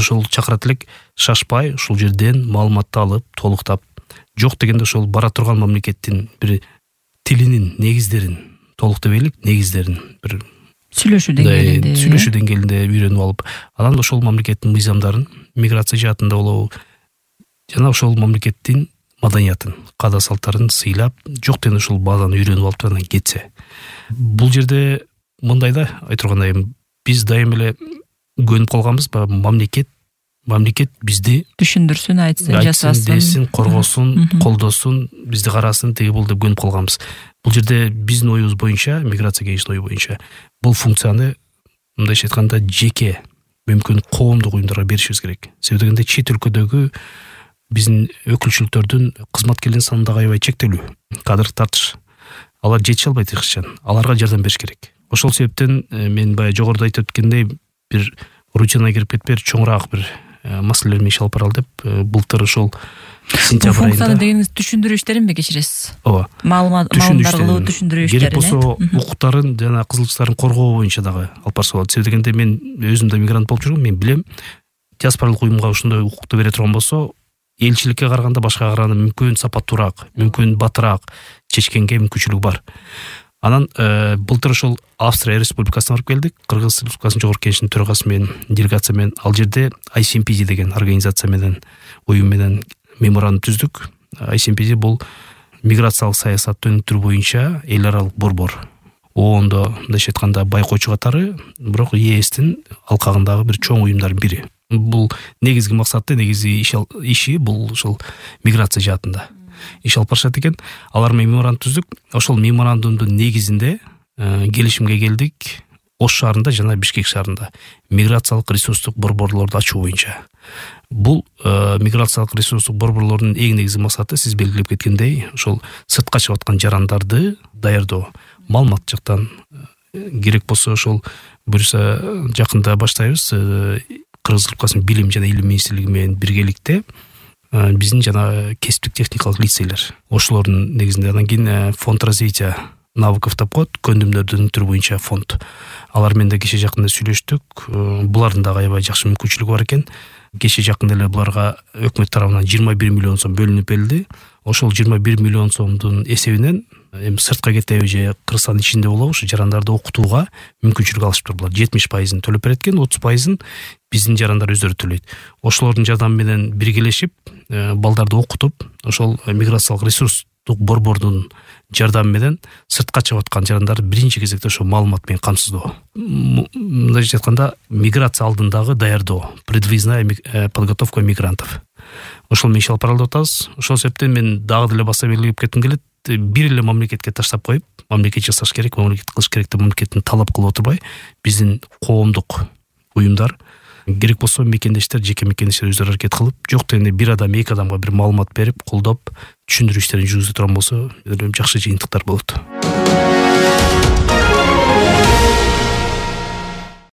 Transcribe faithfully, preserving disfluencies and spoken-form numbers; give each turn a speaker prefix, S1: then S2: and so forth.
S1: ошол чакырат элек шашпай ушул жерден маалыматты алып толуктап, жок дегенде ошол бара турган мамлекеттин бир тилинин негиздерин толуктап элек, негиздерин бир
S2: сүйлөшүү деңгээлинде
S1: сүйлөшүү деңгээлинде үйрөнүп алып, анан ошол мамлекеттин мыйзамдарын, миграция жаатында болобу жана ошол мамлекеттин маданиятын, каада салттарын сыйлап, жок дегенде ушул баазаны үйрөнүп алып анан кетсе. Бул жерде мындай да айтыргандай, биз дайым эле көнүп калганбыз, баягы мамлекет мамлекет бизди
S2: түшүндүрсүн, айтсын, жасасын,
S1: десин, коргосун, колдосун, бизди карасын, тиги бул деп көнүп калганбыз. Бул жерде биздин оюбуз боюнча, миграция кеңешинин ою боюнча бул функцияны мындайча айтканда жеке мүмкүн коомдук уюмдарга беришибиз керек. Себеби дегенде чет өлкөдөгү биздин өкүлчүлүктөрдүн кызматкерлеринин саны да аябай чектелүү, кадр тартыш. Алар жетише албайт эч качан. Аларга жардам бериш керек. Ошол себептен мен баягы жогоруда айтып өткөндөй бир рутинага кирип кетпей чоңураак бир маселелер менен иш алып баралы деп былтыр ошол сентябрь айында.
S2: Функцияны дегениңиз түшүндүрүү иштеринби кечиресиз?
S1: Ооба.
S2: Маалымат кылуу түшүндүрүү иштерин.
S1: Керек болсо укуктарын жана кызыкчылыктарын коргоо боюнча дагы алып барса болот. Себеби дегенде мен өзүм да мигрант болуп жүргөм, мен билем. Диаспоралык уюмга ушундай укукту бере турган болсо, элчиликке караганда башкага караганда мүмкүн сапаттуураак, мүмкүн батыраак чечкенге мүмкүнчүлүгү бар. Анан былтыр ошол Австрия Республикасына барып келдик. Кыргыз Республикасынын жогорку кеңешинин төрагасы менен, делегация менен, ал жерде ай си эм пи ди деген организация менен, уюм менен меморандум түздүк. ай си эм пи ди бул миграциялык саясатты өнүктүрүү боюнча эл аралык борбор. ООНдо мындайча айтканда байкоочу катары, бирок е эстин алкагындагы бир чоң уюмдардын бири. Бул негизги максаты, негизги иши бул ошол миграция жаатында иш алып барышат экен. Алар менен меморандум түздүк. Ошол меморандумдун негизинде келишимге келдик. Ош шаарында жана Бишкек шаарында миграциялык ресурстук борборлорду ачуу боюнча. Бул миграциялык ресурстук борборлордун эң негизги максаты сиз белгилеп кеткендей, ошол сыртка чыгып аткан жарандарды даярдоо. Маалымат жактан керек болсо ошол буюрса жакында баштайбыз. Кыргыз Республикасынын билим жана илим министрлиги менен биргеликте биздин жана кесиптик техникалык лицейлер. Ошолордун негизинде анан кийин фонд развития навыков деп коет, көндүмдөрдү өнүктүрүү боюнча фонд. Алар менен да кече жакында сүйлөштүк. Булардын дагы аябай жакшы мүмкүнчүлүгү бар экен. Кече жакында эле буларга өкмөт тарабынан жыйырма бир миллион сом бөлүнүп берилди. Ошол жыйырма бир миллион сомдун эсебинен эми сыртка кетеби же Кыргызстандын ичинде болобу ушу жарандарды окутууга мүмкүнчүлүк алышыптыр. Булар жетимиш пайызын төлөп берет экен, отуз пайызын биздин жарандар өздөрү төлөйт. Ошолордун жардамы менен биргелешип, балдарды окутуп, ошол миграциялык ресурстук борбордун жардамы менен сыртка чыгып аткан жарандарды биринчи кезекте ошо маалымат менен камсыздоо. Мындайча айтканда миграция алдындагы даярдоо, предвизная подготовка мигрантов. Ошол менен иш алып баралы деп атабыз. Ошол себептен мен дагы деле баса белгилеп кетким келет. Бир эле мамлекетке таштап коюп, мамлекет жасаш керек, мамлекет кылыш керек деп мамлекеттин талап кылып отурбай, биздин коомдук уюмдар, керек болсо мекендештер, жеке мекендештер өздөрү аракет кылып, жок дегенде бир адам, эки адамга бир маалымат берип, колдоп, түшүндүрүү иштерин жүргүзө турган болсо, жакшы жыйынтыктар болот.